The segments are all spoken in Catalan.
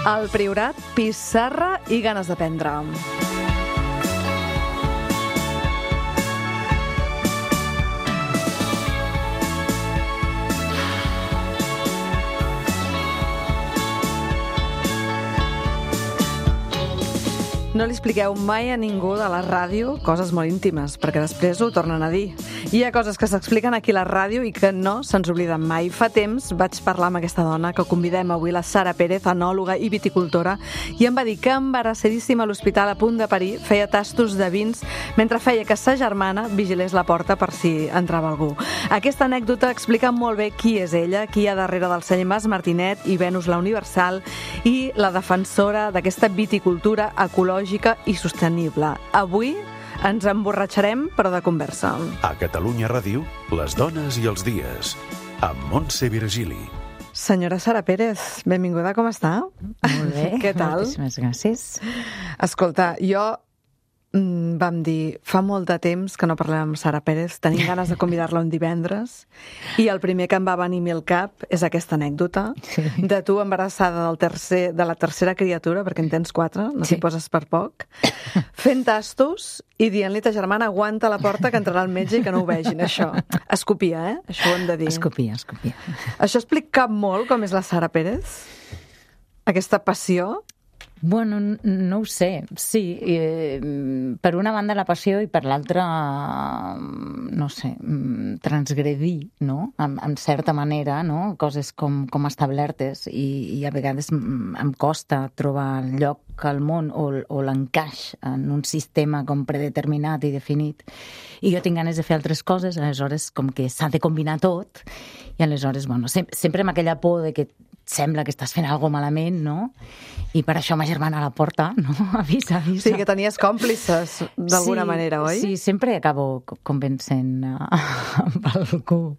Al Priorat, pissarra i ganes d'aprendre. No li expliqueu mai a ningú de la ràdio coses molt íntimes, perquè després ho tornen a dir. Hi ha coses que s'expliquen aquí a la ràdio i que no se'ns obliden mai. Fa temps vaig parlar amb aquesta dona que convidem avui, la Sara Pérez, enòloga i viticultora, i em va dir que embarassadíssima a l'hospital a punt de parir feia tastos de vins mentre feia que sa germana vigilés la porta per si entrava algú. Aquesta anècdota explica molt bé qui és ella, qui hi ha darrere del celler Mas Martinet i Venus la Universal i la defensora d'aquesta viticultura ecològica i sostenible. Avui ens emborratxarem, però de conversa. A Catalunya Ràdio, les dones i els dies, amb Montse Virgili. Senyora Sara Pérez, benvinguda, com està? Molt bé, Què tal? moltíssimes gràcies. Escolta, jo vam dir, fa molt de temps que no parlem amb Sara Pérez, tenim ganes de convidar-la un divendres, i el primer que em va venir al cap és aquesta anècdota de tu embarassada de la tercera criatura, perquè en tens 4, no t'hi poses per poc, fent tastos i dient-li a ta germana aguanta la porta que entrarà el metge i que no ho vegin, això. Escopia, Això ho hem de dir. Escopia. Això explica molt com és la Sara Pérez? Aquesta passió? Bueno, no ho sé, sí. Per una banda la passió i per l'altra, no sé, transgredir, no? En certa manera, no? Coses com establertes i a vegades em costa trobar el lloc al món o l'encaix en un sistema com predeterminat i definit. I jo tinc ganes de fer altres coses, aleshores com que s'ha de combinar tot i aleshores, bueno, sempre amb aquella por de que sembla que estàs fent alguna cosa malament, no? I per això ma germana a la porta, no? Avisa. Sí, que tenies còmplices d'alguna manera, oi? Sí, sempre acabo convencent amb algú.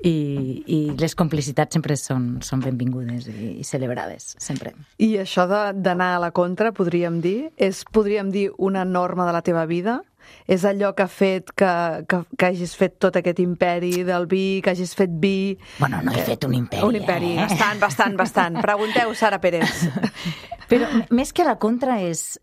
I les complicitats sempre són benvingudes i celebrades, sempre. I això d'anar a la contra, podríem dir una norma de la teva vida? És allò que ha fet que hagis fet tot aquest imperi del vi, que hagis fet vi... Bueno, no he fet un imperi, Un imperi, bastant. Pregunteu, Sara Pérez. Però més que la contra és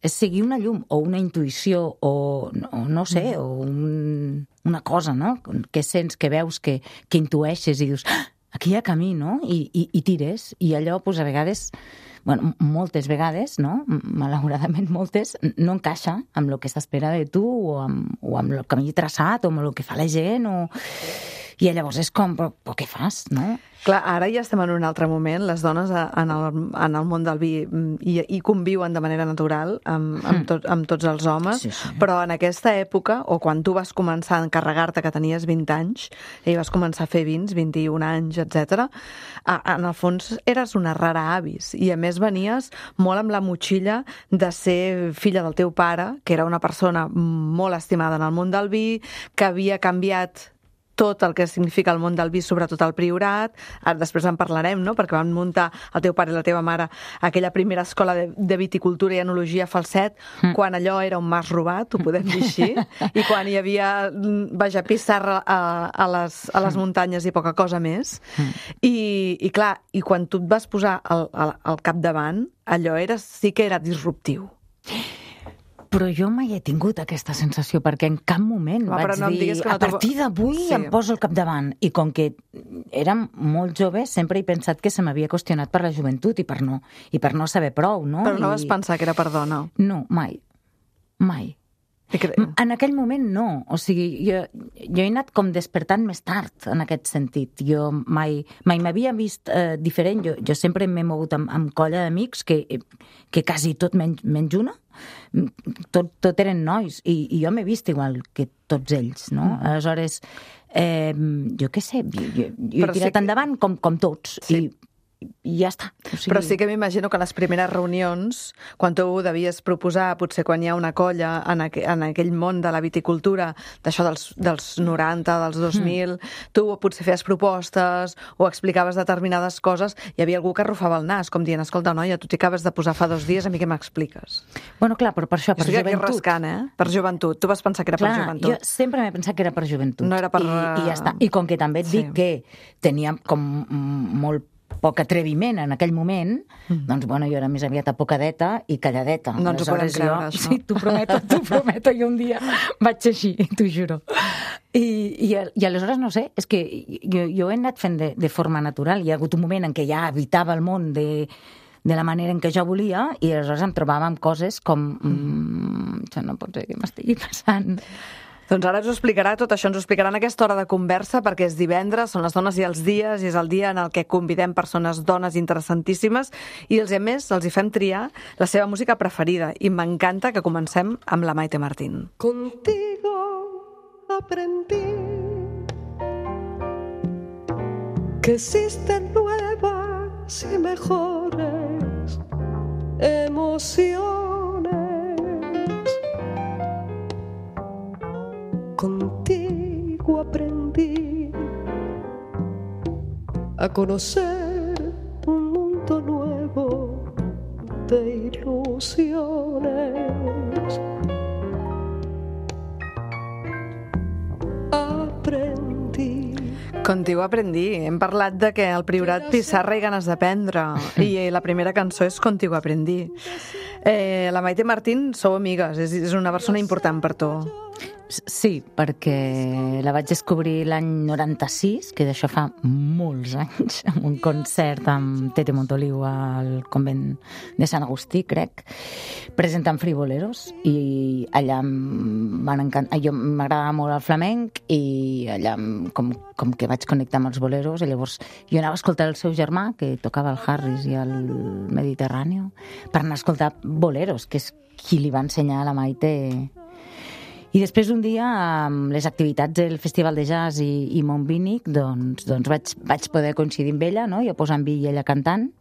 seguir una llum o una intuïció o no sé, o una cosa, no? Que sents, que veus, que intueixes i dius, aquí hi ha camí, no? I tires. I allò, doncs, a vegades... Bueno, moltes vegades, no? Malauradament moltes, no encaixa amb el que s'espera de tu o amb el camí traçat o amb el que fa la gent i llavors és com, però què fas, no? Clar, ara ja estem en un altre moment, les dones en el món del vi i conviuen de manera natural amb tots els homes, sí. Però en aquesta època, o quan tu vas començar a encarregar-te que tenies 20 anys i vas començar a fer vins, 21 anys, etc. En el fons eres una rara avis i a més venies molt amb la motxilla de ser filla del teu pare, que era una persona molt estimada en el món del vi, que havia canviat tot el que significa el món del vi, sobretot al Priorat. Ara després en parlarem, no? Perquè van muntar el teu pare i la teva mare aquella primera escola de viticultura i enologia Falset, quan allò era un mas robat, ho podem dir així, i quan hi havia, pissarra a les muntanyes i poca cosa més. I clar, i quan tu et vas posar al capdavant, allò sí que era disruptiu. Però jo mai he tingut aquesta sensació, perquè en cap moment vaig dir, a partir d'avui em poso al capdavant. I com que érem molt joves, sempre he pensat que se m'havia qüestionat per la joventut i per no saber prou, no? Però no vas pensar que era per dona? No, mai. En aquell moment no. O sigui, jo he anat com despertant més tard en aquest sentit. Jo mai m'havia vist diferent. Jo sempre m'he mogut amb colla d'amics que quasi tot menys una. Tot eren nois i jo m'he vist igual que tots ells, no? Aleshores, jo què sé, jo he tirat endavant com tots i ja està. O sigui... Però sí que m'imagino que les primeres reunions, quan tu ho devies proposar, potser quan hi ha una colla en aquell món de la viticultura, d'això dels 90, dels 2000, tu potser feies propostes o explicaves determinades coses, hi havia algú que arrufava el nas, com dient, escolta, noia, tu t'hi acabes de posar fa 2 dies, a mi què m'expliques? Bueno, clar, però per això, per joventut. Estic aquí rascant, per joventut. Tu vas pensar que era per joventut. Jo sempre m'he pensat que era per joventut. No era per... I ja està. I com que també et dic que tenia com molt poc atreviment en aquell moment, doncs, bueno, jo era més aviat apocadeta i calladeta. No ens ho podem creure, això. Sí, t'ho prometo, jo un dia vaig així, t'ho juro. I aleshores, no sé, és que jo he anat fent de forma natural. Hi ha hagut un moment en què ja habitava el món de la manera en què jo volia i aleshores em trobava amb coses com això no pot ser que m'estigui passant. Doncs ara ens ho explicarà, tot això ens ho explicarà en aquesta hora de conversa, perquè és divendres, són les dones i els dies, i és el dia en el que convidem persones dones interessantíssimes, i a més els hi fem triar la seva música preferida, i m'encanta que comencem amb la Maite Martín. Contigo aprendí que existen nuevas y mejores emociones. Contigo aprendí a conocer un mundo nuevo de ilusiones. Aprendí. Contigo aprendí. Hem parlat de que al Priorat pissarra i ganes d'aprendre, i la primera cançó és Contigo aprendí. La Maite Martín sou amigues, és una persona important per tu. Sí, perquè la vaig descobrir l'any 96, que d'això fa molts anys, en un concert amb Tete Montoliu al convent de Sant Agustí, crec, presentant friboleros, i allà em van encantar. Jo m'agradava molt el flamenc i allà com que vaig connectar amb els boleros, i llavors jo anava a escoltar el seu germà, que tocava el Harris i el Mediterráneo, per anar a escoltar boleros, que és qui li va ensenyar a la Maite. I després un dia, amb les activitats del Festival de Jazz i Montbínic, doncs vaig poder coincidir amb ella, no? Jo posant vi i ella cantant,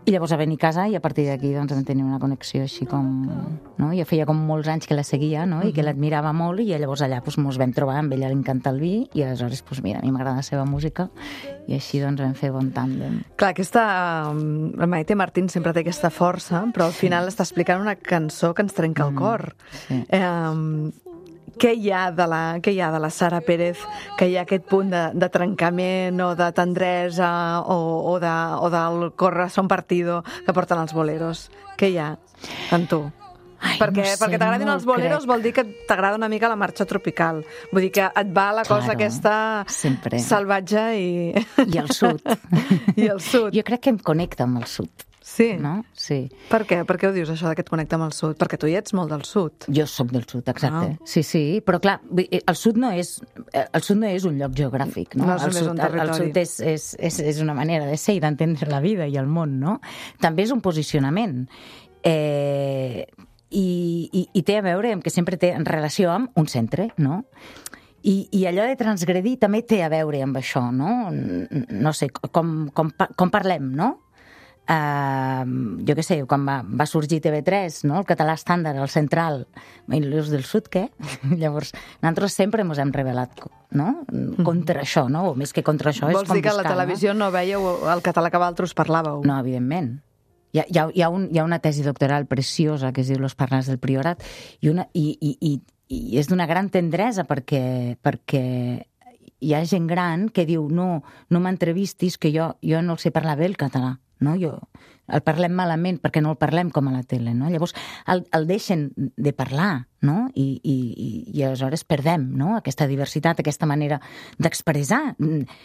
i llavors a venir a casa, i a partir d'aquí doncs vam tenir una connexió així com... No? Jo feia com molts anys que la seguia, no? I que l'admirava molt, i llavors allà doncs, mos vam trobar, amb ella li encanta el vi, i aleshores, doncs, mira, a mi m'agrada la seva música, i així doncs vam fer bon tàndem. Clar, la Maite Martín sempre té aquesta força, però al final està explicant una cançó que ens trenca el cor. Sí. Què hi ha de la Sara Pérez, que hi ha aquest punt de trencament o de tendresa o del corazón partido que porten els boleros? Què hi ha en tu? Perquè t'agradin els boleros vol dir que t'agrada una mica la marxa tropical. Vull dir que et va la cosa aquesta sempre salvatge i... I el sud. I el sud. Jo crec que em connecta amb el sud. Sí? No? Sí. Per què? Per què ho dius, això que et connecta amb el sud? Perquè tu hi ets molt del sud. Jo sóc del sud, exacte. Sí, però clar, el sud no és un lloc geogràfic, no? No és un territori. El sud és una manera de ser i d'entendre la vida i el món, no? També és un posicionament. I té a veure amb que sempre té en relació amb un centre, no? I allò de transgredir també té a veure amb això, no? No sé, com parlem, no? Jo què sé, quan va sorgir TV3, no? El català estàndard, el central, i els del sud, què? Llavors, nosaltres sempre ens hem rebel·lat, no? Contra això, no? O més que contra això, és com buscar, no? Vols dir que a la televisió no veieu el català que vosaltres parlàveu? No, evidentment. Hi ha una tesi doctoral preciosa que es diu Los parlants del Priorat, i és d'una gran tendresa perquè hi ha gent gran que diu no m'entrevistis, que jo no el sé parlar bé el català. No? El parlem malament perquè no el parlem com a la tele, no? Llavors el deixen de parlar, no? I aleshores perdem, no? Aquesta diversitat, aquesta manera d'expressar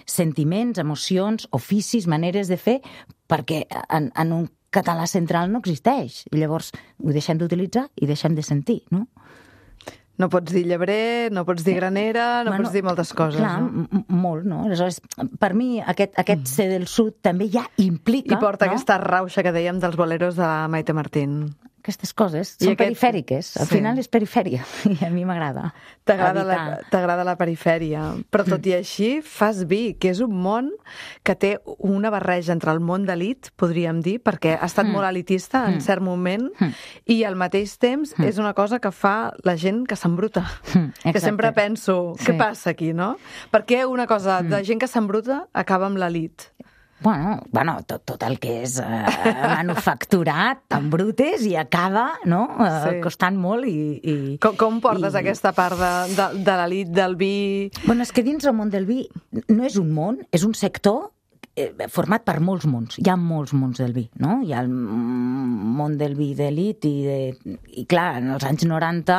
sentiments, emocions, oficis, maneres de fer, perquè en un català central no existeix. I llavors ho deixem d'utilitzar i deixem de sentir, no? No pots dir llebrer, no pots dir granera, pots dir moltes coses. Clar, no? Molt, no? Aleshores, per mi, aquest ser del sud també ja implica... I porta aquesta rauxa que dèiem dels boleros de la Maite Martín. Aquestes coses són perifèriques. Al final és perifèria, i a mi m'agrada. T'agrada la perifèria. Però tot i així fas vi, que és un món que té una barreja entre el món d'elit, podríem dir, perquè ha estat molt elitista en cert moment, i al mateix temps és una cosa que fa la gent que s'embruta. Que sempre penso, què passa aquí, no? Per què una cosa de gent que s'embruta acaba amb l'elit? Bueno, tot el que és manufacturat t'embrutes i acaba, no?, costant molt i... Com portes aquesta part de l'elit del vi? Bueno, és que dins el món del vi no és un món, és un sector format per molts mons. Hi ha molts mons del vi, no? Hi ha el món del vi d'elit i clar, en els anys 90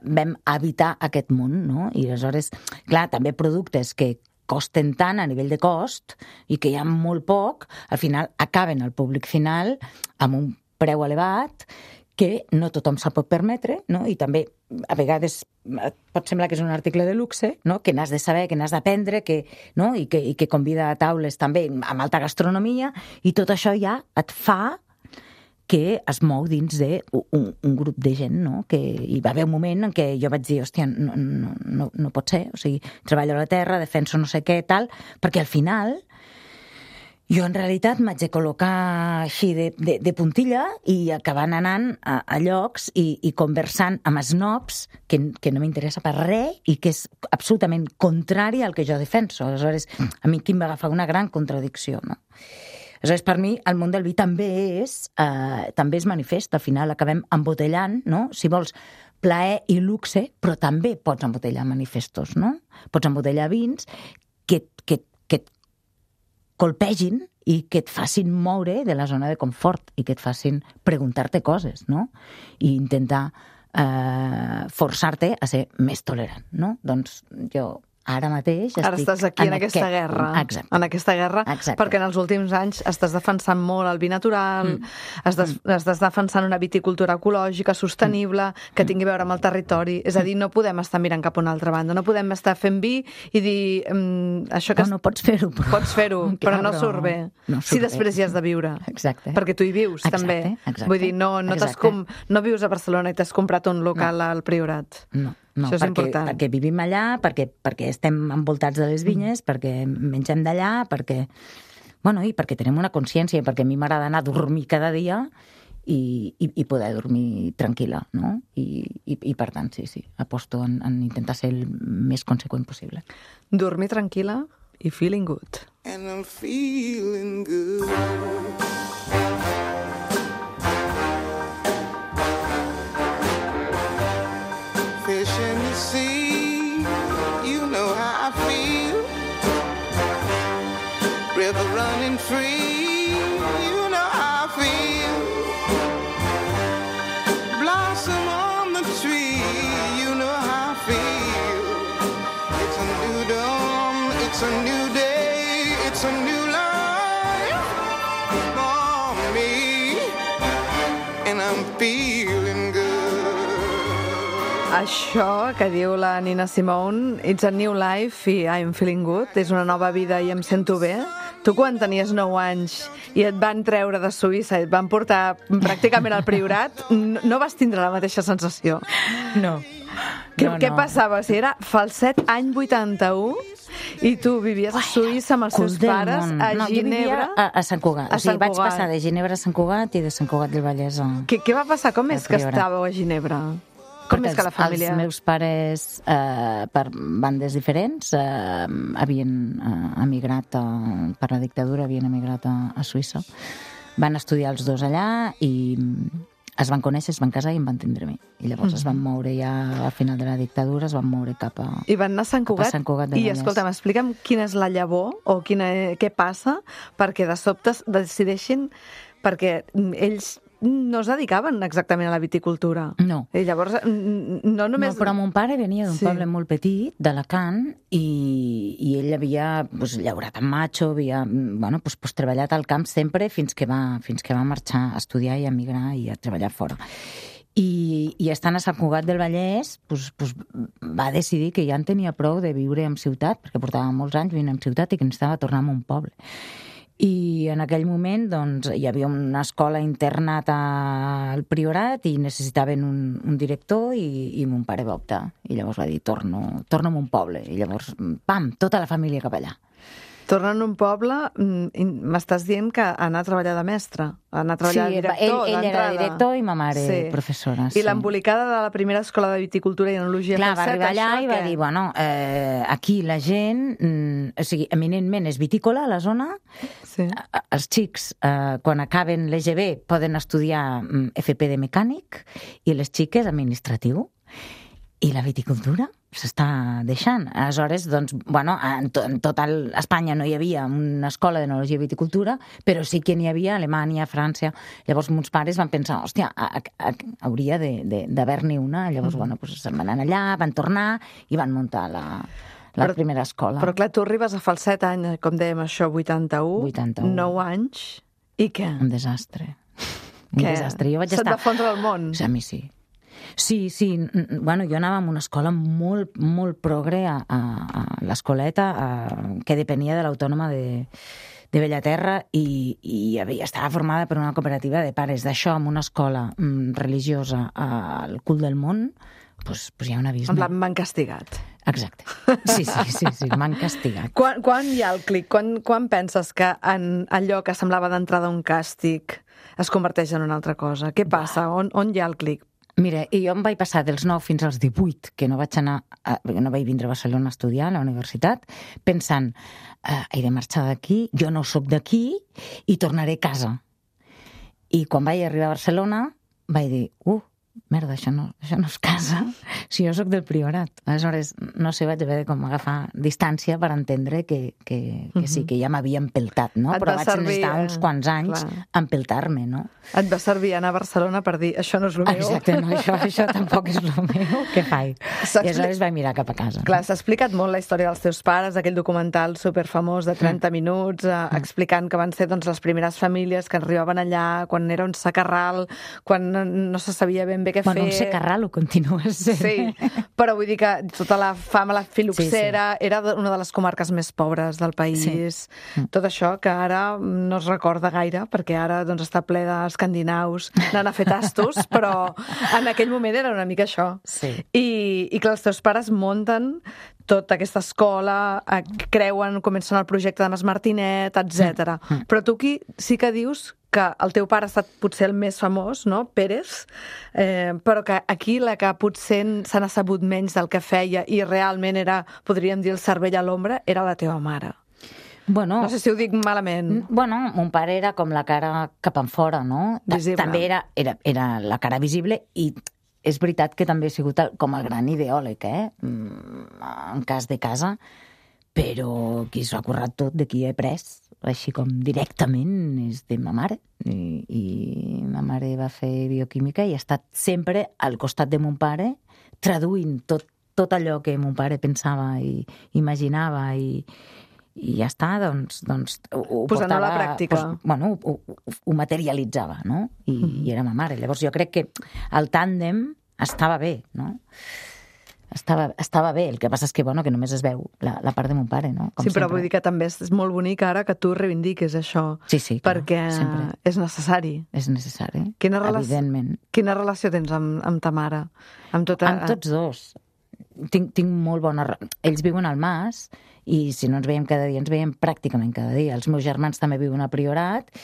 vam habitar aquest món, no? I aleshores, clar, també productes que costen tant a nivell de cost i que hi ha molt poc, al final acaben al públic final amb un preu elevat que no tothom se'l pot permetre, no? I també a vegades pot semblar que és un article de luxe, no? Que n'has de saber, que n'has d'aprendre, no? I que convida a taules també amb alta gastronomia, i tot això ja et fa que es mou dins d'un grup de gent, no? Que hi va haver un moment en què jo vaig dir, hòstia, no pot ser, o sigui, treballo a la terra, defenso no sé què, tal, perquè al final jo en realitat m'haig de col·locar així de puntilla i acabant anant a llocs i conversant amb snobs que no m'interessa per res i que és absolutament contrari al que jo defenso. Aleshores, a mi aquí em va agafar una gran contradicció, no? Aleshores, per mi, el món del vi també és manifest. Al final acabem embotellant, no? Si vols, plaer i luxe, però també pots embotellar manifestos, no? Pots embotellar vins que et colpegin i que et facin moure de la zona de confort i que et facin preguntar-te coses, no? I intentar forçar-te a ser més tolerant, no? Doncs jo ara mateix Ara estàs aquí en aquesta guerra. Exacte. En aquesta guerra, Exacte. perquè en els últims anys estàs defensant molt el vi natural, estàs defensant una viticultura ecològica, sostenible, que tingui a veure amb el territori. És a dir, no podem estar mirant cap a una altra banda. No podem estar fent vi i dir... això que no pots fer-ho. Pots fer-ho, però no surt bé. Si després hi has de viure. Exacte. Perquè tu hi vius, també. Exacte. Vull dir, no vius a Barcelona i t'has comprat un local al Priorat. No, això és important. Perquè vivim allà, perquè estem envoltats de les vinyes, perquè mengem d'allà, i perquè tenim una consciència, perquè a mi m'agrada anar a dormir cada dia i poder dormir tranquil·la, no? I per tant, sí, aposto en intentar ser el més conseqüent possible. Dormir tranquil·la i feeling good. And I'm feeling good. Fish in the sea, you know how I feel. River running free, you know how I feel. Blossom on the tree, you know how I feel. It's a new dawn, it's a new day, it's a new life for me, and I'm feeling good. Això que diu la Nina Simone, It's a new life i I'm feeling good, és una nova vida i em sento bé. Tu quan tenies 9 anys i et van treure de Suïssa i et van portar pràcticament al Priorat, no vas tindre la mateixa sensació? No. Què passava? Si era falset any 81 i tu vivies a Suïssa amb els seus pares a Ginebra... Jo vivia a Sant Cugat. O sigui, vaig passar de Ginebra a Sant Cugat i de Sant Cugat del Vallès a... Què va passar? Com és que estàveu a Ginebra? Com és que la família... Els meus pares, per bandes diferents, havien emigrat per la dictadura, havien emigrat a Suïssa. Van estudiar els dos allà i es van conèixer, es van casar i em van tindre a mi. I llavors es van moure ja al final de la dictadura, es van moure cap a... I van anar a Sant Cugat? I escolta'm, explica'm quina és la llavor o què passa perquè de sobte decideixin... Perquè ells no es dedicaven exactament a la viticultura. No. I llavors, no només... No, però mon pare venia d'un poble molt petit, d'Alacant, i ell havia llaurat amb matxo, havia treballat al camp sempre fins que va marxar a estudiar i a emigrar i a treballar fora. I estant a Sant Cugat del Vallès, va decidir que ja en tenia prou de viure en ciutat, perquè portava molts anys vivint en ciutat i que necessitava tornar a un poble. I en aquell moment hi havia una escola internat al Priorat i necessitaven un director i mon pare va optar. I llavors va dir, torno a un poble. I llavors, pam, tota la família cap allà. Tornant a un poble, m'estàs dient que anar a treballar de mestre, anar a treballar de director, ell era director i ma mare professora. I l'embolicada de la primera escola de viticultura i enologia... Clar, va arribar allà i va dir, aquí la gent, o sigui, eminentment és vitícola a la zona, els xics, quan acaben l'EGB, poden estudiar FP de mecànic i les xiques administratiu. I la viticultura s'està deixant. Aleshores, doncs, bueno, en tot Espanya no hi havia una escola d'enologia i viticultura, però sí que n'hi havia a Alemanya, a França. Llavors, meus pares van pensar, hòstia, hauria d'haver-n'hi una. Llavors, bueno, doncs se'n van anar allà, van tornar i van muntar la primera escola. Però clar, tu arribes a Falset any, com dèiem això, 81, 9 anys, i què? Un desastre. Un desastre. Jo vaig Se't estar... va fondre el món? A mi sí. Sí. Bueno, jo anava a una escola molt, molt progre a l'escoleta, que depenia de l'Autònoma de Bellaterra i estava formada per una cooperativa de pares. D'això, en una escola religiosa al cul del món, doncs hi ha un abisme. En plan, m'han castigat. Exacte. Sí, m'han castigat. Quan hi ha el clic? Quan penses que en allò que semblava d'entrada un càstig es converteix en una altra cosa? Què passa? On hi ha el clic? Mira, jo em vaig passar dels 9 fins als 18, que no vaig vindre a Barcelona a estudiar a la universitat, pensant, he de marxar d'aquí, jo no sóc d'aquí i tornaré a casa. I quan vaig arribar a Barcelona vaig dir, merda, això no és casa, si jo sóc del Priorat. Aleshores, no sé, vaig haver de com agafar distància per entendre que sí, que ja m'havia empeltat, no? Però vaig necessitar uns quants anys empeltar-me, no? Et va servir anar a Barcelona per dir, això no és el meu. Exacte, no, això tampoc és el meu, què faig? I aleshores vaig mirar cap a casa. Clar, s'ha explicat molt la història dels teus pares, aquell documental superfamós de 30 minuts, explicant que van ser doncs, les primeres famílies que arribaven allà, quan era un secarral, quan no se sabia ben bé què fer. Un secarral ho continua sent. Sí, però vull dir que tota la fama, la filoxera, era una de les comarques més pobres del país. Tot això que ara no es recorda gaire, perquè ara doncs, està ple d'escandinaus anant a fer tastos, però en aquell moment era una mica això. Sí. I clar, els teus pares munten tota aquesta escola, creuen, comencen el projecte de Mas Martinet, etc. Però tu aquí sí que dius que el teu pare ha estat potser el més famós, no? Pérez, però que aquí la que potser se n'ha sabut menys del que feia i realment era, podríem dir, el cervell a l'ombra, era la teva mare. Bueno, no sé si ho dic malament. Bueno, mon pare era com la cara cap enfora, no? Visible. També era la cara visible i és veritat que també ha sigut com el gran ideòleg, en cas de casa, però qui s'ho ha currat tot, de qui he pres, així com directament, és de ma mare. I ma mare va fer bioquímica i ha estat sempre al costat de mon pare, traduint tot allò que mon pare pensava i imaginava i ja està, doncs ho posant-ho portava... a la pràctica. Bueno, ho materialitzava, no? I era ma mare. Llavors jo crec que el tàndem estava bé, no? Estava bé, el que passa és que, bueno, que només es veu la part de mon pare, no? Com sí, però sempre. Vull dir que també és molt bonic ara que tu reivindiques això. Sí, clar, perquè sempre. És necessari. És necessari, evidentment. Quina relació tens amb ta mare? Amb tots dos. Tinc molt bona... Ells viuen al Mas i si no ens veiem cada dia, ens veiem pràcticament cada dia. Els meus germans també viuen a Priorat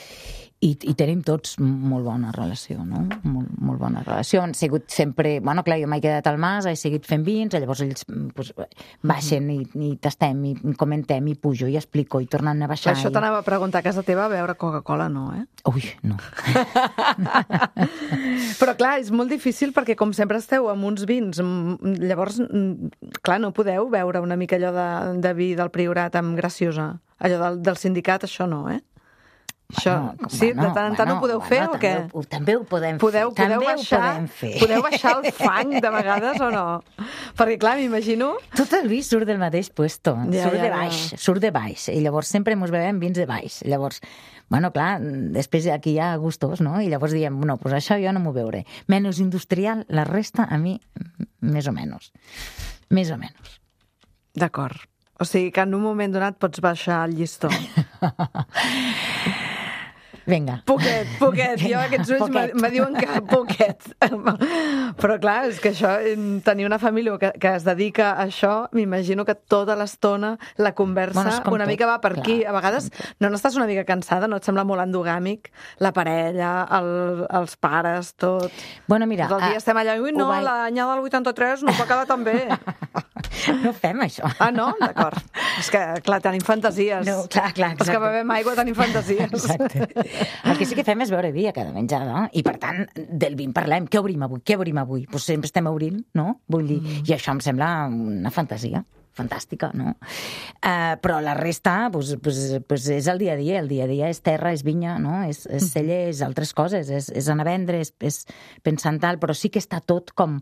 i tenim tots molt bona relació, no? Molt bona relació. Han sigut sempre... Bueno, clar, jo m'he quedat al Mas, he seguit fent vins, llavors ells pues, baixen i tastem, i comentem, i pujo, i explico, i tornen a baixar. Això t'anava a preguntar, a casa teva beure Coca-Cola, no, Ui, no. Però clar, és molt difícil perquè com sempre esteu amb uns vins, llavors, clar, no podeu beure una mica allò de vi del Priorat amb Graciosa. Allò del sindicat, això no, Això, sí, de tant en tant ho podeu fer o què? També ho podem fer. Podeu baixar el fang de vegades o no? Perquè clar, m'imagino... Tot el vi surt del mateix puesto, surt de baix, i llavors sempre ens bevem vins de baix. Llavors, bueno, clar, després aquí hi ha gustos, no? I llavors diem, no, pues això jo no m'ho beuré. Menys industrial, la resta a mi, més o menys. Més o menys. D'acord. O sigui que en un moment donat pots baixar el llistó. Vinga. Poquet. Jo aquests ulls me diuen que poquet. Però clar, és que això, tenir una família que es dedica a això, m'imagino que tota l'estona la conversa una mica va per aquí. A vegades no estàs una mica cansada? No et sembla molt endogàmic? La parella, els pares, tot. Bueno, mira... Tot el dia estem allà, l'anyada del 83 no va quedar tan bé. No fem això. Ah, no? D'acord. És que, clar, tenim fantasies. No, clar, Els que bevem aigua tenim fantasies. Exacte. El que sí que fem és beure vi a cada menjada, i per tant, del vi en parlem. Què obrim avui? Pues sempre estem obrint, no? Vull dir, i això em sembla una fantasia fantàstica, no? Però la resta, pues és el dia a dia. El dia a dia és terra, és vinya, no? És celler, és altres coses, és anar a vendre, és pensar en tal, però sí que està tot com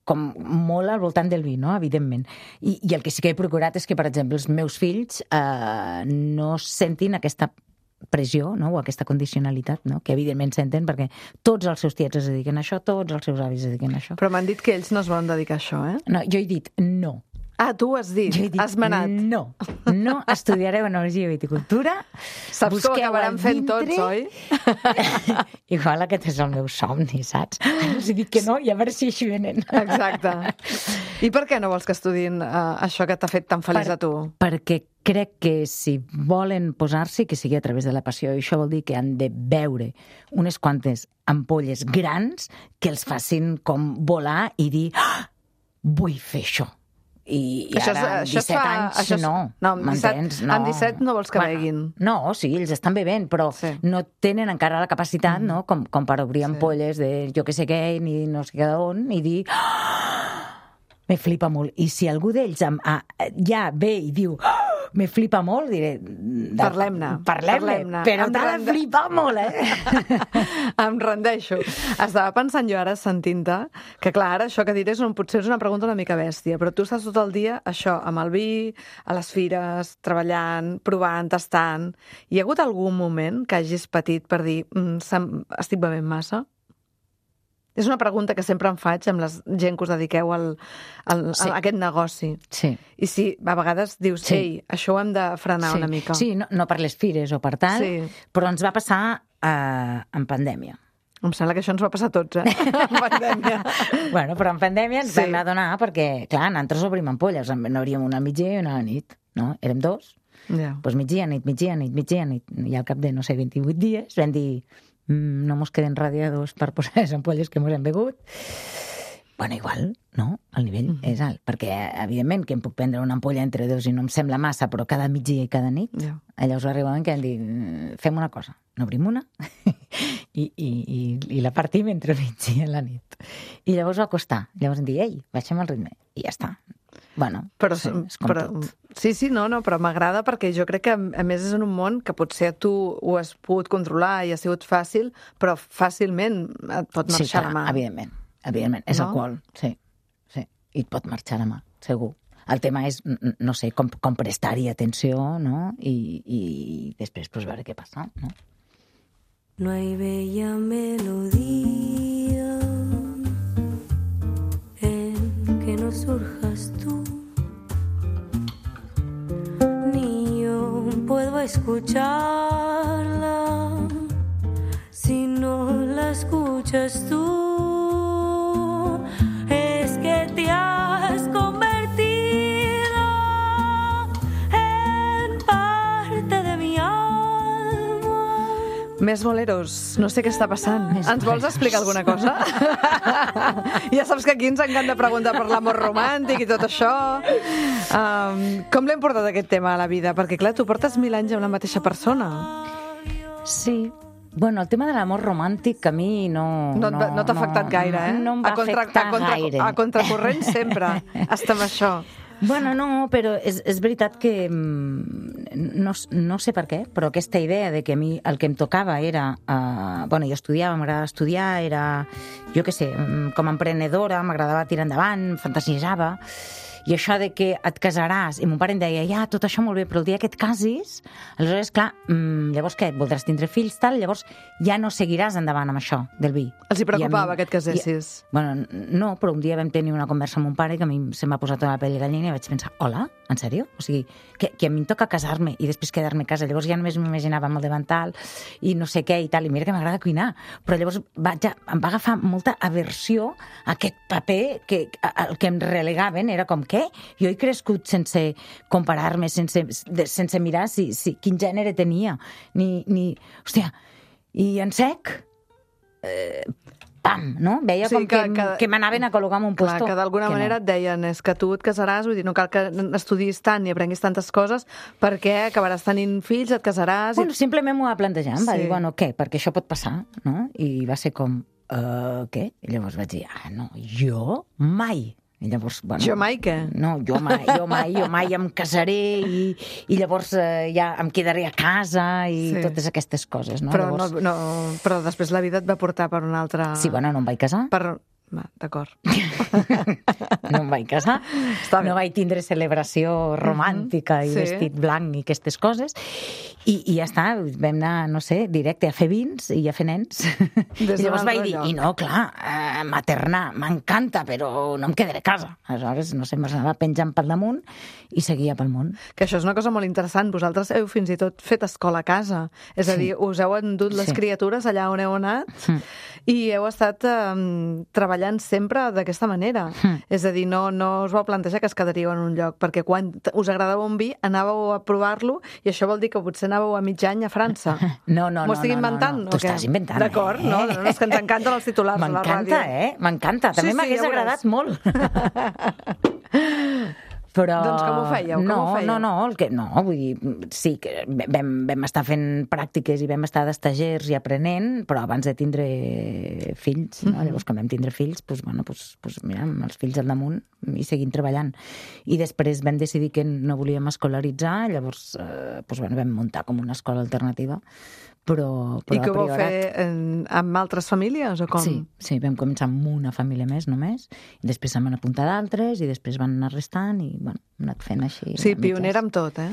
molt al voltant del vi, no? Evidentment. I el que sí que he procurat és que, per exemple, els meus fills no sentin aquesta pressió, no? O aquesta condicionalitat, no? Que evidentment senten perquè tots els seus tiets es dediquen a això, tots els seus avis es dediquen a això. Però m'han dit que ells no es volen dedicar a això, eh? No, jo he dit no. Ah, tu ho has dit, has manat. No estudiareu enologia i viticultura. Saps que ho acabaran fent tots, oi? Igual aquest és el meu somni, saps? Els dic que no i a veure si així venen. Exacte. I per què no vols que estudin això que t'ha fet tan feliç a tu? Perquè crec que si volen posar-s'hi, que sigui a través de la passió. I això vol dir que han de veure unes quantes ampolles grans que els facin com volar i dir vull fer això. I ara, amb 17 anys, no. M'entens? Amb 17 no vols que beguin. No, sí, ells estan bevent, però no tenen encara la capacitat, no?, com per obrir ampolles de jo que sé què, ni no sé què d'on, i dir me flipa molt. I si algú d'ells ja ve i diu me flipa molt, diré parlem-ne, però t'ha de flipar molt, Em rendeixo. Estava pensant jo ara, sentint-te, que clar, ara això que diré potser és una pregunta una mica bèstia, però tu estàs tot el dia això, amb el vi, a les fires, treballant, provant, tastant. Hi ha hagut algun moment que hagis patit per dir estic bevent massa? És una pregunta que sempre em faig amb la gent que us dediqueu a aquest negoci. Sí. I si a vegades dius, ei, això ho hem de frenar una mica. Sí, no per les fires o per tal, però ens va passar en pandèmia. Em sembla que això ens va passar a tots, en pandèmia. Bueno, però en pandèmia ens vam adonar perquè, clar, nosaltres obrim ampolles, n'obríem una al migdia i una a la nit, no? Érem dos. Doncs migdia, nit. I al cap de, no sé, 28 dies vam dir no mos queden radiadors per posar les ampolles que mos hem begut. Bueno, igual, no? El nivell és alt. Perquè, evidentment, que em puc prendre una ampolla entre dos i no em sembla massa, però cada migdia i cada nit, llavors va arribar un moment que vam dir, fem una cosa, n'obrim una i la partim entre migdia i la nit. I llavors va costar. Llavors vam dir, ei, baixem el ritme. I ja està. Bueno, però tot. Però m'agrada perquè jo crec que a més és en un món que potser tu ho has pogut controlar i ha sigut fàcil, però fàcilment et pot marxar la mà. Evidentment, és alcohol, sí, i et pot marxar la mà, segur. El tema és, no sé, com prestar-hi atenció, no? I després pues, veure què passa, no? No hay bella melodía en que no surjas tú, ni yo puedo escucharla si no la escuchas tú. Es que te has convertido en parte de mi alma. Més boleros, no sé què està passant. Ens vols explicar alguna cosa? Ja saps que aquí ens encanta preguntar per l'amor romàntic i tot això. Com l'hem portat aquest tema a la vida? Perquè clar, tu portes 1000 anys amb la mateixa persona. Sí. Bueno, el tema de l'amor romàntic a mi no t'ha afectat gaire, eh? No em va afectar gaire. A contracorrent sempre està amb això. Bueno, no, però és veritat que no sé per què, però aquesta idea de que a mi el que em tocava era... Bueno, jo estudiava, m'agradava estudiar, era, jo què sé, com a emprenedora, m'agradava tirar endavant, fantasiejava, i això de que et casaràs, i mon pare em deia, ja, tot això molt bé, però el dia que et casis, aleshores, clar, llavors què, voldràs tindre fills, tal, llavors ja no seguiràs endavant amb això del vi. Els hi preocupava que et casessis? Bueno, no, però un dia vam tenir una conversa amb mon pare que a mi se'm va posar tota la pell de gallina i vaig pensar, hola, en sèrio? O sigui, que a mi em toca casar-me i després quedar-me a casa, llavors ja només m'imaginava amb el davantal i no sé què i tal, i mira que m'agrada cuinar, però llavors em va agafar molta aversió a aquest paper que el que em relegaven era com, què? Jo he crescut sense comparar-me, sense mirar quin gènere tenia, hòstia, i en sec, pam, no? Veia Sí, com que m'anaven a col·locar en un Clar, puesto. que d'alguna manera et deien és que tu et casaràs, vull dir, no cal que estudis tant ni aprenguis tantes coses perquè acabaràs tenint fills, et casaràs... Bueno, simplement m'ho va plantejar, em va Sí. dir, bueno, què? Perquè això pot passar, no? I va ser com, què? I llavors vaig dir, no, jo mai. I llavors, bueno, Jo mai què? No, jo mai em casaré i llavors ja em quedaré a casa i Sí. totes aquestes coses, no? Però, Llavors, però després la vida et va portar per una altra... sí, bueno, no em vaig casar. Va, d'acord. No em vaig casar, Està bé. no vaig tindre celebració romàntica i Sí. vestit blanc i aquestes coses, i ja està, vam anar, no sé, directe a fer vins i a fer nens. Des I d'un llavors altre vaig dir, lloc. i no, clar, maternar, m'encanta, però no em quedaré a casa. Aleshores, no sé, m'anava penjant pel damunt i seguia pel món. Que això és una cosa molt interessant. Vosaltres heu fins i tot fet escola a casa. És a Sí. dir, us heu endut les Sí. criatures allà on heu anat i heu estat treballant sempre d'aquesta manera. És a dir, no us vau plantejar que es quedaríeu en un lloc, perquè quan us agradava un vi anàveu a provar-lo i això vol dir que potser anàveu a mig any a França. No. M'ho estic inventant? No. o T'ho què? estàs inventant, D'acord, no, és que ens encanten els titulars a la ràdio. M'encanta, M'encanta. També Sí, m'hagués ja veuràs. agradat molt. Però... Doncs com ho fèieu? Com ho fèieu? Vull dir, sí, que vam estar fent pràctiques i vam estar d'estagers i aprenent, però abans de tindre fills, no? Llavors, quan vam tindre fills, mira, amb els fills al damunt i seguim treballant. I després vam decidir que no volíem escolaritzar, llavors vam muntar com una escola alternativa, però I què ho vau priorat. fer amb altres famílies o com? Sí, vam començar amb una família més només, i després se'n van apuntar d'altres, i després van anar restant, i hem anat fent així. Sí, a mitges. pionera amb tot, eh?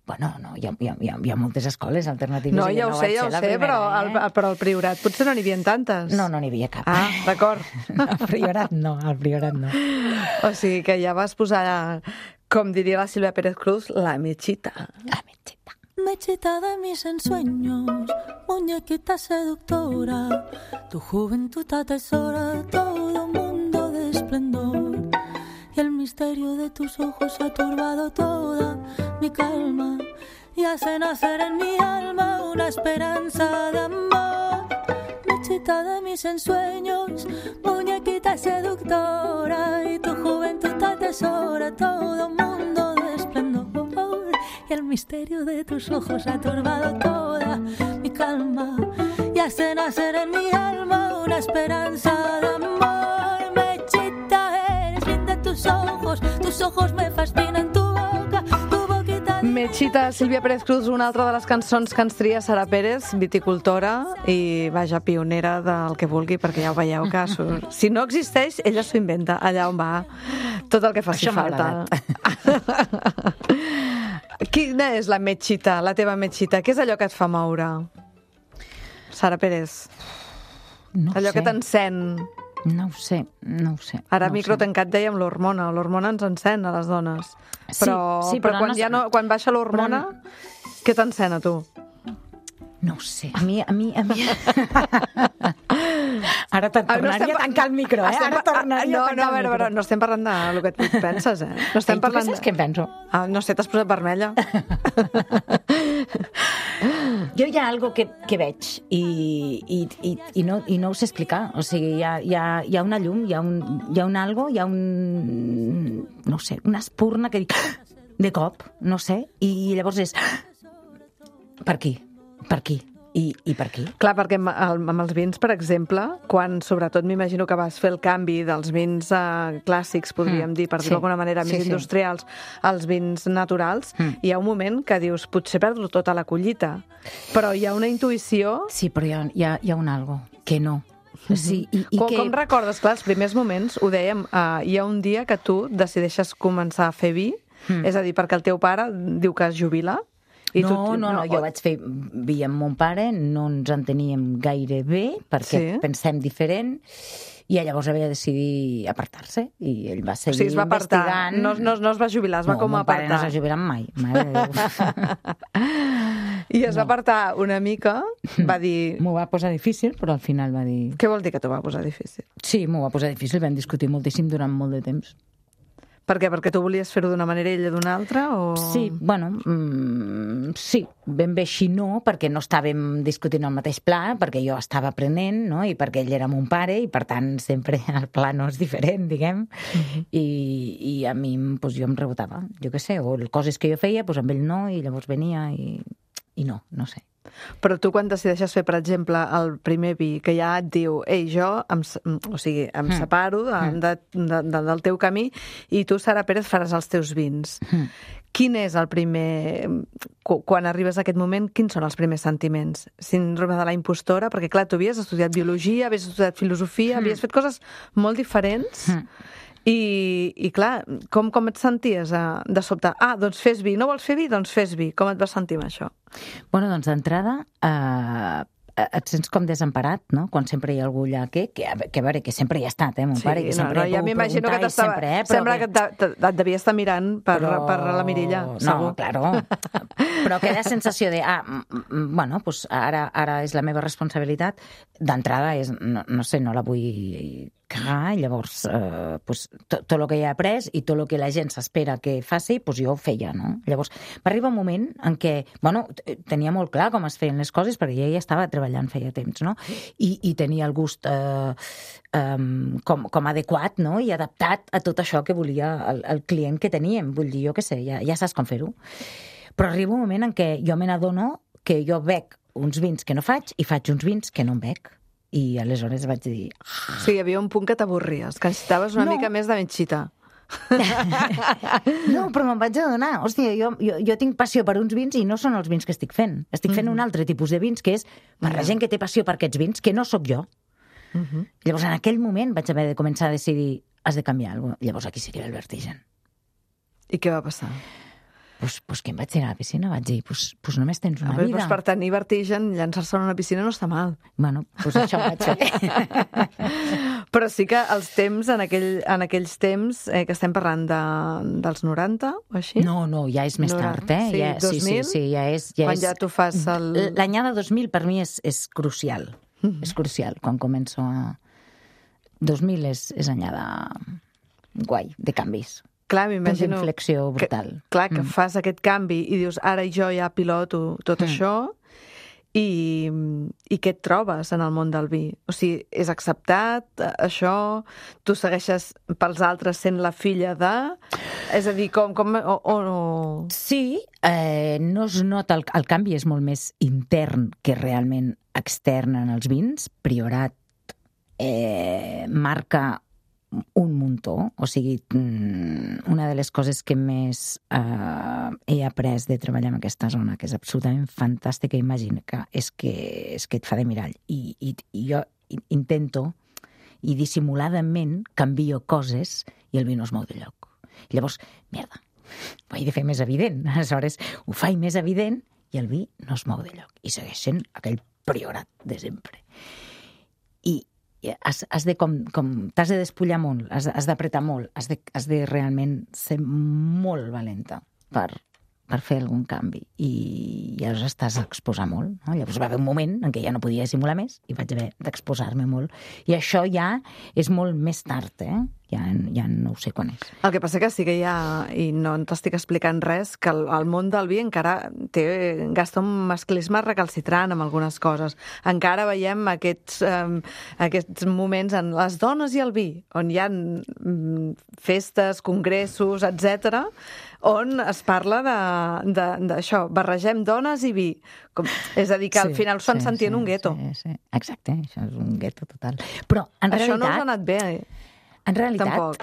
Bueno, no, hi ha moltes escoles alternatives. No, i ja ho sé, vaig ser la primera, però al Priorat potser no n'hi havia tantes. No n'hi havia cap. Ah, d'acord. Al Priorat no. O sigui que ja vas posar, com diria la Sílvia Pérez Cruz, la mechita. La mechita. Mechita de mis ensueños, muñequita seductora, tu juventud atesora todo un mundo de esplendor. Y el misterio de tus ojos ha turbado toda mi calma y hace nacer en mi alma una esperanza de amor. Mechita de mis ensueños, muñequita seductora, y tu juventud atesora todo un mundo de esplendor. Y el misterio de tus ojos ha turbado toda mi calma y hace nacer en mi alma una esperanza de amor. Mechita, eres linda tus ojos me fascinan tu boquita. Mechita, Sílvia Pérez Cruz, una altra de les cançons que ens tria Sara Pérez, viticultora i, vaja, pionera del que vulgui, perquè ja ho veieu que si no existeix, ella s'ho inventa allà on va, tot el que faci Això m'ha falta. Quina és la mechita, la teva mechita? Què és allò que et fa moure? Sara Pérez. No Allò que t'encén. No ho sé. Ara no micro sé. tancat dèiem l'hormona. L'hormona ens encén a les dones. Sí, Però, sí, però però quan baixa l'hormona, què t'encén a tu? No ho sé. A mi... Ara te'n tornaria a tancar el micro, eh? Ara tornaria a tancar el micro. No estem parlant del que tu penses, eh? No estem I tu què parlant saps què em penso? No sé, t'has posat vermella. Jo hi ha algo que veig i no ho sé explicar. O sigui, hi ha una llum, hi ha un algo, hi ha un... no sé, una espurna que dic... de cop, no sé, i llavors és... per aquí. I per aquí. Clar, perquè amb els vins, per exemple, quan sobretot m'imagino que vas fer el canvi dels vins clàssics, podríem dir, per dir-ho d'alguna manera, més industrials, als vins naturals, hi ha un moment que dius, potser perdo tota la collita, però hi ha una intuïció... Sí, però hi ha un algo que no. Sí, Com recordes? Clar, els primers moments, ho dèiem, hi ha un dia que tu decideixes començar a fer vi, és a dir, perquè el teu pare diu que es jubila. No, jo vaig fer vi amb mon pare, no ens enteníem gaire bé, perquè pensem diferent, i llavors havia de decidir apartar-se, i ell va seguir investigant. No es va jubilar, es va com apartar. No, mon pare no s'ha jubilat mai, mare de Déu. I es va apartar una mica, va dir... M'ho va posar difícil, però al final va dir... Què vol dir que t'ho va posar difícil? Sí, m'ho va posar difícil, vam discutir moltíssim durant molt de temps. Per què? Perquè tu volies fer-ho d'una manera i ella d'una altra? O... Sí, bueno, sí, ben bé així no, perquè no estàvem discutint el mateix pla, perquè jo estava aprenent, no?, i perquè ell era mon pare, i per tant sempre el pla no és diferent, diguem, i a mi doncs, jo em rebotava, jo què sé, o coses que jo feia, doncs amb ell no, i llavors venia i no sé. Però tu quan decideixes fer, per exemple, el primer vi, que ja et diu, ei, jo em separo del teu camí i tu, Sara Pérez, faràs els teus vins. Quin és el primer... Quan arribes a aquest moment, quins són els primers sentiments? Síndrome de la impostora? Perquè, clar, tu havies estudiat biologia, havies estudiat filosofia, havies fet coses molt diferents... I clar, com et senties de sobte? Doncs fes vi. No vols fer vi? Doncs fes vi. Com et vas sentir amb això? Bueno, doncs d'entrada et sents com desemparat, no? Quan sempre hi ha algú allà que a veure, que sempre hi ha estat, mon pare, que sempre ja m'imagino que sembla que et devia estar mirant per la mirilla, segur. No, claro. Però aquella sensació de, bueno, pues ara és la meva responsabilitat, d'entrada és, no sé, no la vull cagar, llavors tot el que he après i tot el que la gent s'espera que faci, doncs jo ho feia, no? Llavors va arribar un moment en què, bueno, tenia molt clar com es feien les coses, perquè jo ja estava treballant feia temps, no? I tenia el gust com adequat, no? I adaptat a tot això que volia el client que teníem. Vull dir, jo què sé, ja saps com fer-ho. Però arriba un moment en què jo me n'adono que jo bec uns vins que no faig i faig uns vins que no em bec. I aleshores vaig dir... Sí, hi havia un punt que t'avorries, que necessitaves una mica més de menxita. No, però me'n vaig adonar. Hòstia, jo tinc passió per uns vins i no són els vins que estic fent. Estic fent un altre tipus de vins, que és per la gent que té passió per aquests vins, que no sóc jo. Llavors, en aquell moment vaig haver de començar a decidir, has de canviar alguna cosa. Llavors, aquí sí que era el vertigen. I què va passar? Pues que em vaig tirar a la piscina, vaig dir, pues només tens una vida. Per tenir vertigen, llançar-se a una piscina no està mal. Bueno, pues això vaig fer. Però sí que els temps, en aquells temps, que estem parlant dels 90 o així? No, ja és més tard, eh? Sí, 2000? Sí, ja és... Quan ja tu fas el... L'anyada 2000 per mi és crucial. És crucial, quan començo a... 2000 és anyada guai, de canvis. Clar, m'imagino... Inflexió brutal. Que fas aquest canvi i dius, ara jo ja piloto tot això, i què et trobes en el món del vi? O sigui, és acceptat això? Tu segueixes pels altres sent la filla de... És a dir, o... Sí, no es nota... El canvi és molt més intern que realment extern en els vins. Priorat marca un muntó, o sigui, una de les coses que més he après de treballar en aquesta zona, que és absolutament fantàstica i màgica, és que et fa de mirall. I jo intento, i dissimuladament canvio coses i el vi no es mou de lloc. Llavors, merda, ho he de fer més evident. Aleshores, ho faig més evident i el vi no es mou de lloc. I segueix sent aquell priorat de sempre. I has de t'has de despullar molt, has d'apretar molt, has de realment ser molt valenta per fer algun canvi. I llavors t'has d'exposar molt, no? Llavors va haver un moment en què ja no podia dissimular més i vaig haver d'exposar-me molt. I això ja és molt més tard, ja no ho sé quan és. El que passa que sí que hi ha, i no t'estic explicant res, que el món del vi encara gasta un masclisme recalcitrant amb algunes coses. Encara veiem aquests moments en les dones i el vi, on hi ha festes, congressos, etc., on es parla d'això, barregem dones i vi. És a dir, que al final s'ho han sentit en un gueto. Sí. Exacte, això és un gueto total. Però, en realitat... Això no us ha anat bé, En realitat,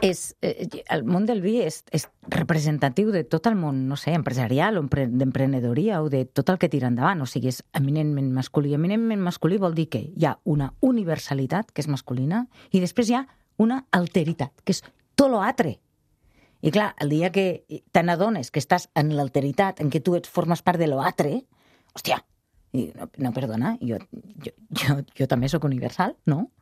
el món del vi és representatiu de tot el món, no sé, empresarial o d'emprenedoria o de tot el que tira endavant. O sigui, és eminentment masculí. Eminentment masculí vol dir que hi ha una universalitat, que és masculina, i després hi ha una alteritat, que és tot l'altre. I clar, el dia que te n'adones que estàs en l'alteritat, en què tu formes part de l'altre, hòstia, no, perdona, jo també sóc universal, no?